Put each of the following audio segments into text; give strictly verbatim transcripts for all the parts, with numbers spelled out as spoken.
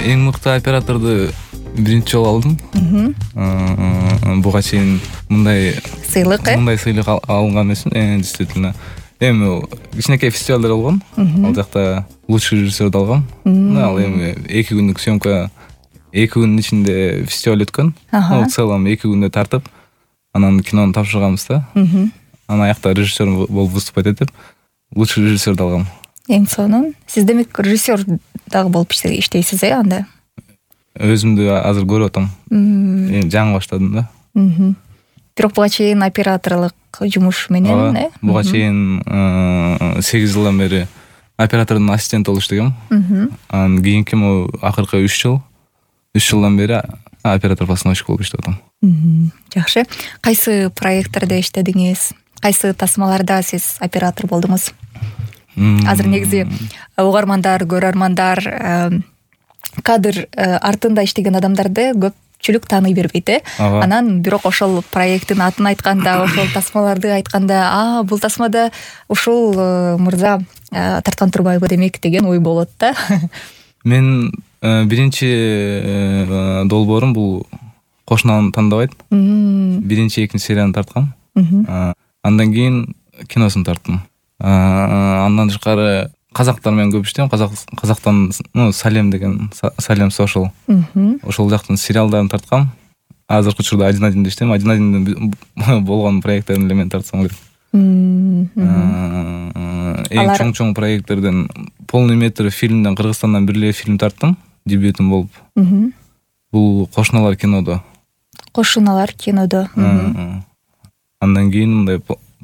эң мыкты операторду биринчи жолу алдым. Буга чейин мындай сыйлык э мындай сыйлык алган эмесмин. Действительно эми кичинекей фестивалдар болгон. Ал жакта лучший режиссерди алгам. Ал эми эки күндүк съемка, эки күндүн ичинде фестиваль өткөн. В целом эки күндө тартып, анан кинону тапшырганбыз да. Анан аякта режиссер болуп выступать этип, лучший режиссерди алгам. Эң сонун. Сиз демек режиссер дагы болуп иштейсиз э анда? Өзүмдү азыр көрүп атам. Эми жаңы баштадым да. Бирок буга чейин операторлук жумуш менен э? Буга чейин сегиз жылдан бери оператордун ассистенти болуп иштегем. Анан кийинки могу акыркы үч жыл, үч жылдан бери оператор-постановщик болуп иштеп атам. Жакшы. Кайсы проекттерде иштедиңиз? Кайсы тасмаларда сиз оператор болдуңуз? Азыр негизи угармандар, көрөрмандар кадр артында иштеген адамдарды көпчүлүк тааный бербейт э. Анан бирок ошол проекттин атын айтканда, ошол тасмаларды айтканда, а бул тасмада ушул мырза тарткан турбайбы демек деген ой болот да. Мен биринчи долбоорум бул Кошунааны тандабайт. Биринчи, экинчи серияны тарткам. Андан кийин киносун тарттым. Андан тышкары казактар менен көп иштейм. Казак казактан, ну, Салем деген, Салем Social. Ошол жактын сериалдарын тарткам. Азыркы учурда один одинде иштейм. один одинде болгон проекттерин эле мен тартсам керек. Эң чоң-чоң проекттерден полный метр фильмден, Кыргызстандан бир эле фильм тарттым, дебютум болуп. Бул Кошуналар кинодо. Кошуналар кинодо. Андан кийин мындай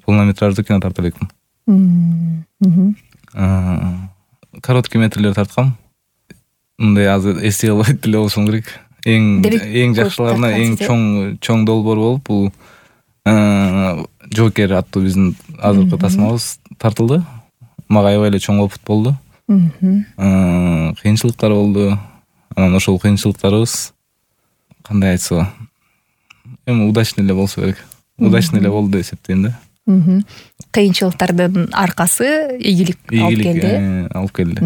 полнометраждуу кино тартып электим. Короткий метрлер тарткам. Мындай азыр эстей албайт деле болушум керек. Эң эң жакшыларына эң чоң чоң долбоор болуп бул Джокер аттуу биздин азыркы тасмабыз тартылды. Мага аябай эле чоң опыт болду. Кыйынчылыктар болду. Анан ошол кыйынчылыктарыбыз кандай айтса, эми удачный эле болсо керек. Удачный эле болду деп эсептейм да. Кыйынчылыктардын аркасы ийгилик алып келди. Алып келди.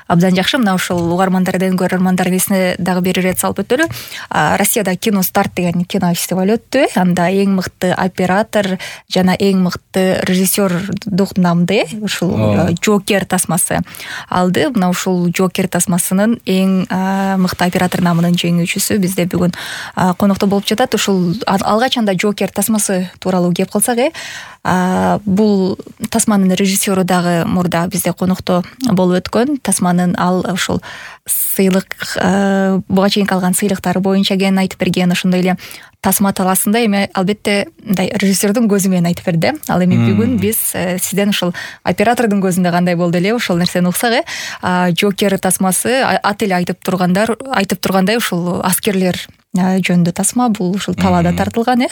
Абдан жакшы. Мына ушул угармандардын, көрөрмандардын эсине дагы бир ирет салып өтөлү. Россияда кино старт деген кино фестиваль өттү. Анда эң мыкты оператор жана эң мыкты режиссердук намды ушул Джокер тасмасы алды. Мына ушул Джокер тасмасынын эң мыкты оператор намынын жеңүүчүсү бизде бүгүн конокто болуп жатат. Ушул алгач анда Джокер тасмасы тууралуу кеп калсак э, бул тасманын режиссеру дагы мурда бизде конокто болуп өткөн. Тасманын ал ушул сыйлык буга чейин калган сыйлыктары боюнча кен айтып берген. Ошондой эле тасма талаасында эми албетте мындай режиссердун көзү менен айтып берди. Ал эми бүгүн биз сизден ушул оператордун көзүндө кандай болду эле ошол нерсени уксак э. Джокер тасмасы ат эле айтып тургандар айтып тургандай ушул аскерлер жөнүндө тасма. Бул ушул талаада тартылган э.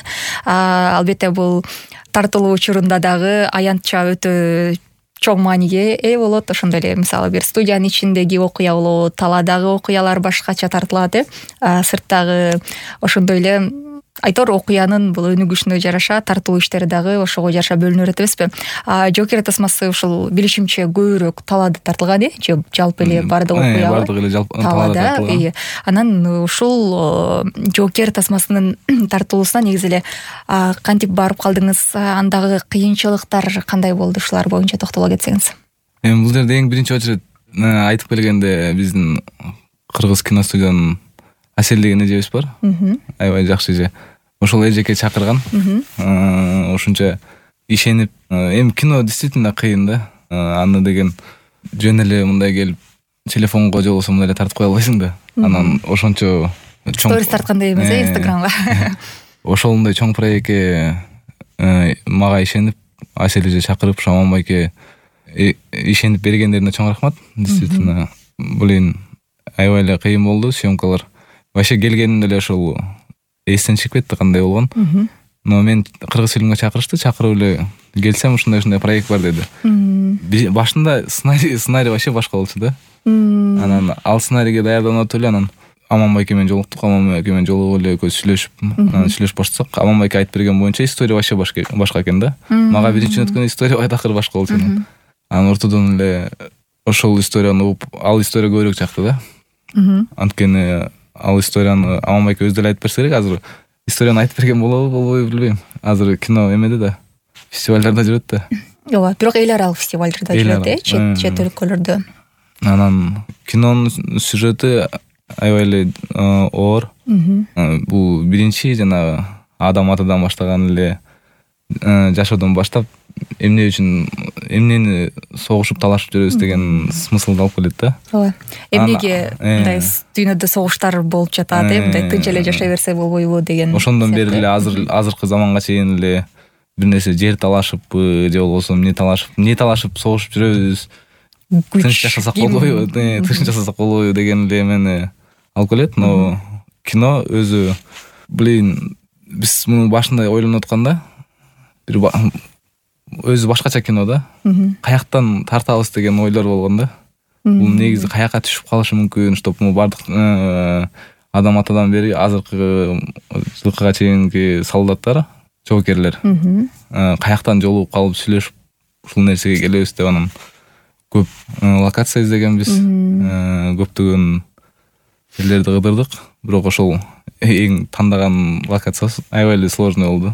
Албетте бул тартылуу учурунда дагы аянтча өтө чоң мааниге ээ болот. Ошондой эле мисалы бир студиянын ичиндеги окуя болот, таладагы окуялар башкача тартылат э. Сырттагы ошондой эле айтор окуянын бул өнүгүшүнө жараша тартылуу иштери дагы ошого жараша бөлүнө берет эмеспи. Джокер тасмасы ушул билишимче көбүрөөк талаада тартылган э, же жалпы эле бардык окуя бардык эле жалпы талаада. Анан ушул Джокер тасмасынын тартылуусуна негизи эле кантип барып калдыңыз? Андагы кыйынчылыктар кандай болду? Ушулар боюнча токтоло кетсеңиз. Эми бул жерде эң биринчи очередь айтып келгенде биздин кыргыз киностудиянын Асель деген эжебиз бар. Аябай жакшы эже. Ошол эжеке чакырган. Ошончо ишенип, эми кино действительно кыйын да. Аны деген жөн эле мындай келип телефонго же болбосо мындай эле тартып кое албайсың да. Анан ошончо чоң сторис тарткандай эмес э, Инстаграмга. Ошондой чоң проектке мага ишенип, Асель эже чакырып, Шаман байке ишенип бергендерине чоң рахмат. Действительно, блин, аябай эле кыйын болду съемкалар. Вообще келгенде эле ошол эстен чыгып кетти кандай болгон. Но мен кыргыз фильмге чакырышты, чакырып эле келсем ушундай ушундай проект бар деди. Башында сценарий сценарий вообще башка болчу да. Анан ал сценарийге даярданып эле анан Аман байке менен жолуктук, Аман байке менен жолугуп эле экөөбүз сүйлөшүп, анан сүйлөшүп баштасак, Аман байке айтып берген боюнча история вообще башка экен да. Мага биринчи өткөн история байтакыр башка болчу. Анан ортодон эле ошол историяны угуп, ал история көбүрөөк жакты да. Анткени ал историяны Аманбайке өзү деле айтып берсе керек. Азыр историяны айтып берген болобу, болбойбу билбейм. Азыр кино эмеде да, фестивалдарда жүрөт да. Ооба, бирок эл аралык фестивалдарда жүрөт э, чет чет өлкөлөрдө. Анан кинонун сюжети аябай эле оор. Бул биринчи жанагы адам атадан баштаган эле жашоодон баштап эмне үчүн эмнени согушуп талашып жүрөбүз деген смыслды алып келет да. Ооба. Эмнеге мындай дүйнөдө согуштар болуп жатат, э, мындай тынч эле жашай берсе болбойбу деген. Ошондон бери эле азыр азыркы заманга чейин эле бир нерсе жер талашыппы же болбосо эмне талашып, эмне талашып согушуп жүрөбүз. Тынч жашасак болбойбу, тынч жашасак болбойбу деген эле эмени алып келет. Но кино өзү, блин, биз муну башында ойлонуп атканда бир өзү башкача кино да. Каяктан тартабыз деген ойлор болгон да. Бул негизи каякка түшүп калышы мүмкүн, чтоб му бардык адам атадан бери азыркы жылкыга чейинки солдаттар, жоокерлер каяктан жолугуп калып сүйлөшүп ушул нерсеге келебиз деп анан көп локация издегенбиз. Көптөгөн жерлерди кыдырдык, бирок ошол эң тандаган локациябыз аябай эле сложный болду.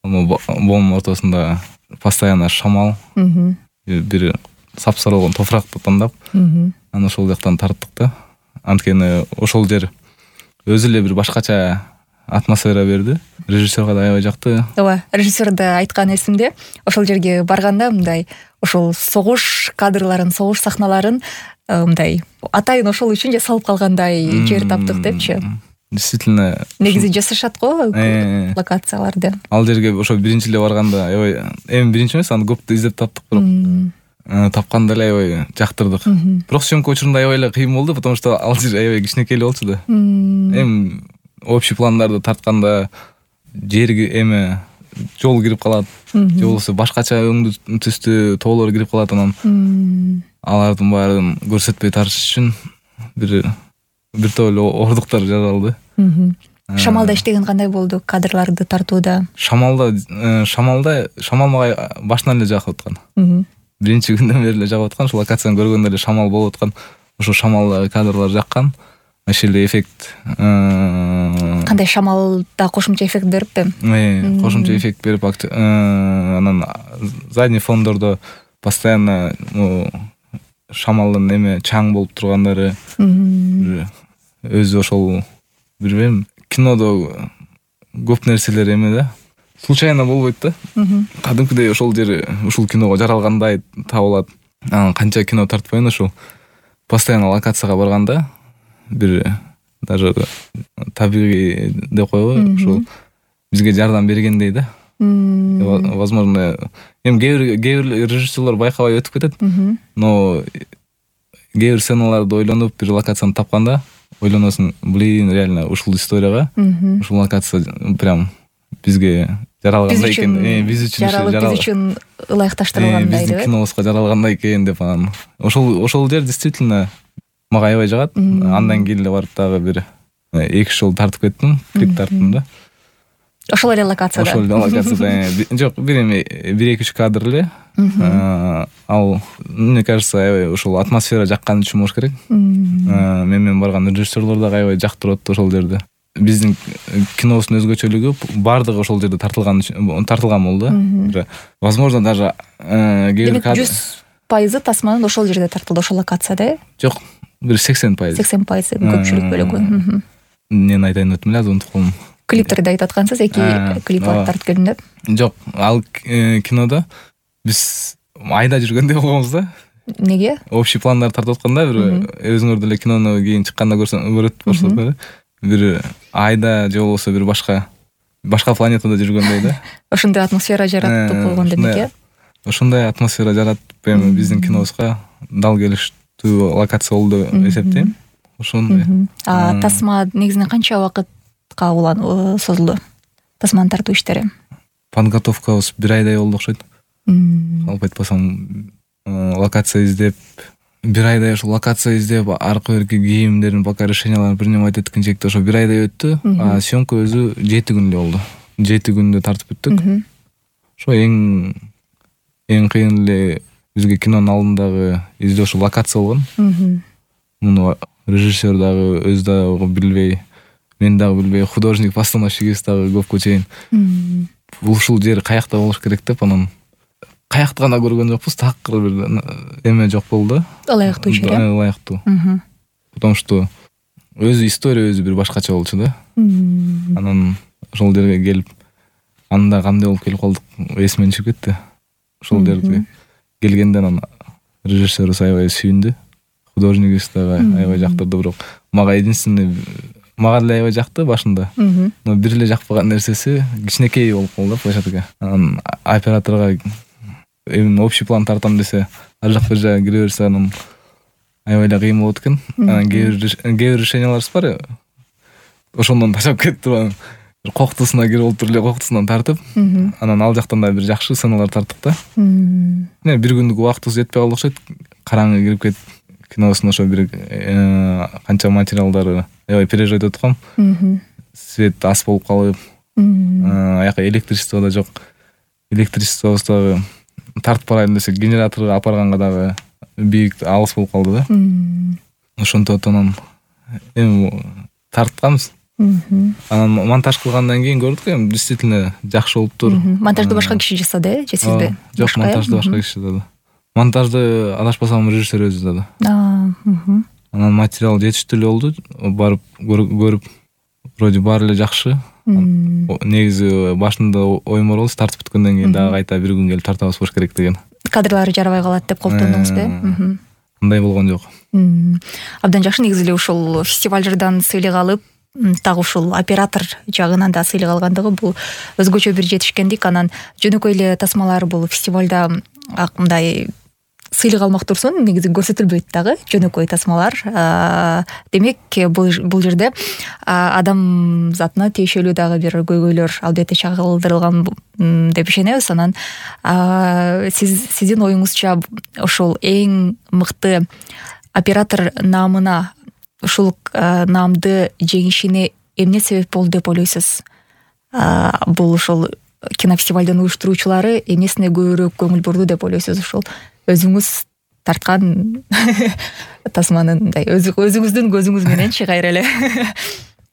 Боомдун ортосунда постоянно шамал, бир сапсаралган топуракты тандап, анан ошол жактан тарттык да. Анткени ошол жер өзү эле бир башкача атмосфера берди. Режиссерга да аябай жакты. Ооба, режиссер да айткан эсимде, ошол жерге барганда мындай ошол согуш кадрларын, согуш сахналарын мындай атайын ошол үчүн жасалып калгандай жер таптык депчи. Действительно. Негизи жасашат го локацияларды. Ал жерге ошо биринчи эле барганда аябай, эми биринчи эмес, аны көп издеп таптык, бирок тапканда эле аябай жактырдык. Бирок съемка учурунда аябай эле кыйын болду, потому что ал жер аябай кичинекей эле болчу да. Эми общий пландарды тартканда жерги эме жол кирип калат, же болбосо башкача өңдүү түстүү тоолор кирип калат, анан алардын баарын көрсөтпөй тартыш үчүн бир бир топ эле оордуктар жаралды. Шамалда иштеген кандай болду кадрларды тартууда? Шамалда шамалда шамал мага башынан эле жагып аткан. Биринчи күндөн бери эле жагып аткан, ошол локацияны көргөндө эле шамал болуп аткан. Ошо шамалдагы кадрлар жаккан. Ошол эле эффект. Кандай шамалда кошумча эффект бериппи? Кошумча эффект берип, анан задний фондордо постоянно шамалдын эме чаң болуп тургандары, өзү ошол билбейм, кинодо көп нерселер эме да, случайно болбойт да. Кадимкидей ошол жер ушул киного жаралгандай табылат. Анан канча кино тартпайын, ошол постоянно локацияга барганда бир даже табигый деп койбойбу, ошол бизге жардам бергендей да. Возможно, эми кээ бир режиссерлор байкабай өтүп кетет, но кээ бир сценаларды ойлонуп бир локацияны тапканда ойлоносуң, блин, реально ушул историяга ушул локация прям бизге жаралгандай экен, биз үчүн жаралып, биз үчүн ылайыкташтырылгандай деп. Биздин кинобузга жаралгандай экен деп, анан ошол ошол жер действительно мага аябай жагат. Андан кийин эле барып дагы бир эки жол тартып кеттим, клип тарттым да. Ошол эле локацияда. Ошол эле локацияда. Жок, бир эми бир эки үч кадр эле. Ал, мне кажется, аябай ошол атмосфера жаккан үчүн болуш керек. Мен менен барган режиссерлор дагы аябай жактырып атты ошол жерде. Биздин кинобуздун өзгөчөлүгү бардыгы ошол жерде тартылган тартылган болду. Возможно, даже кээ бир кадр жүз пайызы тасманын ошол жерде тартылды, ошол локацияда. Жок, бир сексен пайыз. сексен пайыз көпчүлүк бөлүгү. Эмнени айтайын өтүп эле, унутуп калдым. Клиптерди айтып аткансыз, эки клип тартып келдим деп. Жок, ал кинодо биз айда жүргөндөй болгонбуз да. Неге? Общий пландар тартып атканда, бир өзүңөр деле кинону кийин чыкканда көрөт баштап, бир айда же болбосо бир башка башка планетада жүргөндөй да. Ошондой атмосфера жаратып койгон демек э? Ошондой атмосфера жаратып, эми биздин кинобузга дал келиштүү локация болду деп эсептейм. Ошондой. А тасма негизинен канча убакытка улан созулду? Тасманы тартуу иштери? Подготовкабыз бир айдай болду окшойт. Алып айтпасам, локация издеп, бир айдай ошо локация издеп, аркы берки кийимдерин, пока решенияларын бир неме айтып эткенчекте ошо бир айдай өттү. А съемка өзү жети күндө болду. жети күндө тартып бүттүк. Ошо эң эң кыйын эле бизге кинонун алдындагы издөө ошо локация болгон. Муну режиссер дагы өзү дагы билбей, мен дагы билбей, художник постановщигибиз дагы көпкө чейин ушул жер каякта болуш керек деп анан каякты гана көргөн жокпуз, такыр бир эме жок болду. Ылайыктуу жер. Ылайыктуу. Потому что өзү история өзү бир башкача болчу да. Анан ошол жерге келип, анда кандай болуп келип калдык, эсимден чыгып кетти. Ошол жерге келгенде анан режиссерибиз аябай сүйүндү, художнигибиз дагы аябай жактырды, бирок мага единственный мага деле аябай жакты башында. Но бир эле жакпаган нерсеси кичинекей болуп калды площадка. Анан операторго именно общий план тартам десе, ар жак бир жакка кире берсе, анан аябай эле кыйын болот экен. Анан кээ бир решенияларыбыз бар, ошондон ташап кетти. Коктусуна кирип олтуруп эле коктусунан тартып, анан ал жактан да бир жакшы сценалар тарттык да. Мына бир күндүк убактыбыз жетпей калды окшойт. Караңгы кирип кетип, киносун ошо бир канча материалдары аябай переживать этип аткам. Свет ас болуп калып, аяка электричество да жок. Электричествобуз дагы тартып барайын десек, генераторго апарганга дагы бийик алыс болуп калды да. Ошонтип анан эми тартканбыз. Анан монтаж кылгандан кийин көрдүк, эми действительно жакшы болуптур. Монтажды башка киши жасады, э, же сизби? Жок, монтажды башка киши жасады. Монтажды адашпасам режиссер өзү жасады. Анан материал жетиштүү эле болду. Барып көрүп, вроде баары эле жакшы. Негизи башында оюм бар болчу, тартып бүткөндөн кийин дагы кайта бир күн келип тартабыз болуш керек деген. Кадрлары жарабай калат деп колтондуңузбу? Андай болгон жок. Абдан жакшы. Негизи эле ушул фестивалдардан сыйлык алып, так ушул оператор жагынан да сыйлык алгандыгы бул өзгөчө бир жетишкендик. Анан жөнөкөй эле тасмалар бул фестивалда мындай сыйлык алмак турсун, негизи көрсөтүлбөйт дагы жөнөкөй тасмалар. Демек бул бул жерде адам затына тиешелүү дагы бир көйгөйлөр албетте чагылдырылган деп ишенебиз. Анан сиз сиздин оюңузча ушул эң мыкты оператор наамына, ушул наамды жеңишине эмне себеп болду деп ойлойсуз? Бул ушул кинофестивалдын уюштуруучулары эмнесине көбүрөөк көңүл бурду деп ойлойсуз? Ушул өзүңүз тарткан тасманын мындай өзүңүздүн көзүңүз мененчи кайра эле?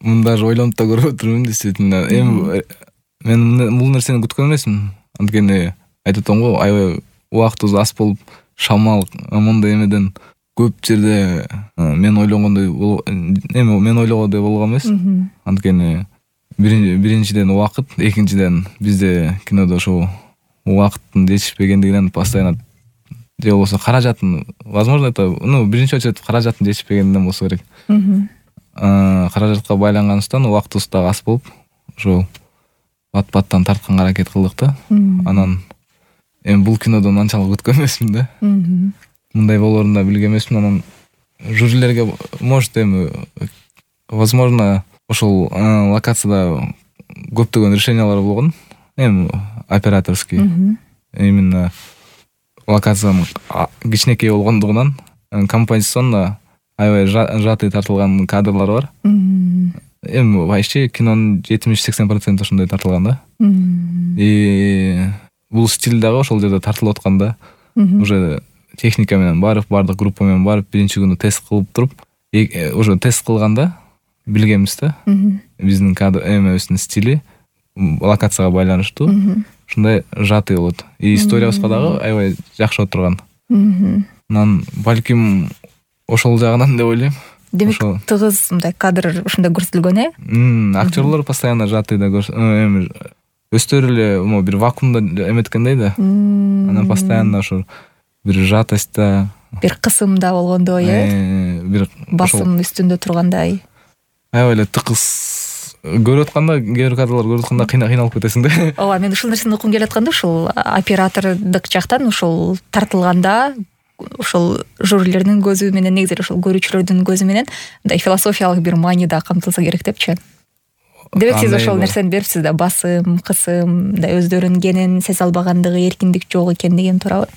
Муну даже ойлонуп да көрүп отурмун, действительно. Эми мен бул нерсени күткөн эмесмин. Анткени айтып атам го, аябай убактыбыз аз болуп, шамал мондай эмеден көп жерде мен ойлогондой эми мен ойлогондой болгон эмес. Анткени биринчиден убакыт, экинчиден бизде кинодо ошо убакыттын жетишпегендигинен постоянно, же болбосо каражатын, возможно это, ну, биринчи очередь каражатын жетишпегенден болсо керек. Каражатка байланганыбыздан убактыбыз дагы аз болуп, ошо бат-баттан тартканга аракет кылдык да. Анан эми бул кинодон анчалык күткөн эмесмин да. Мындай болоорун да билген эмесмин. Анан жюрилерге, может, эми возможно ошол локацияда көптөгөн решениялар болгон, эми операторский. Именно локациянын кичинекей болгондугунан композиционно аябай жатый тартылган кадрлар бар. Эми вообще кинонун жетимиш-сексен проценти ошондой тартылган да. И бул стиль дагы ошол жерде тартылып атканда, уже техника менен барып, бардык группа менен барып, биринчи күнү тест кылып туруп, уже тест кылганда билгенбиз да. Биздин кадр эмебиздин стили локацияга байланыштуу ушундай жатый болот. И историябызга дагы аябай жакшы отурган. Анан балким ошол жагынан деп ойлойм. Демек тыгыз мындай кадр ушундай көрсөтүлгөн, э? Актерлор постоянно жатый да эми өздөрү эле бир вакуумда эметкендей да. Анан постоянно ошо бир жатость-та, бир кысымда болгондой, э? Бир басым үстүндө тургандай. Аябай эле тыкыз көрүп атканда, кээ бир кадрлар көрүп атканда кыйналып кетесиң да. Ооба, мен ушул нерсени уккум келип атканда, ушул оператордук жактан ушул тартылганда ошол жюрилердин көзү менен, негизи ошол көрүүчүлөрдүн көзү менен мындай философиялык бир маани да камтылса керек депчи. Демек сиз ошол нерсени берипсиз да, басым, кысым, мындай өздөрүнгенин сезе албагандыгы, эркиндик жок экендигин, туурабы?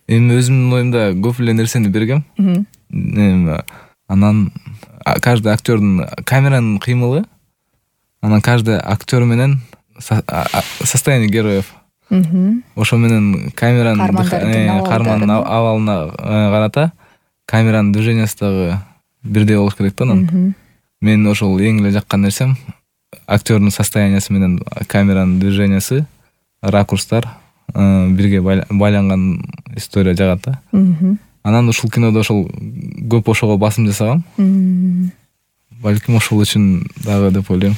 Эми өзүмдүн оюмда көп эле нерсени бергем. Эми анан каждый актёрдун камеранын кыймылы, анан каждый актёр менен состояние героев. Ошо менен камеранын кармандын абалына карата камеранын движениясы дагы бирдей болуш керек да анан. Мен ошол эң эле жаккан нерсем актёрдун состояниясы менен камеранын движениясы, ракурстар бирге байланган история жагат да. Анан ушул кинодо ошол көп ошого басым жасагам. Балким ошол үчүн дагы деп ойлойм.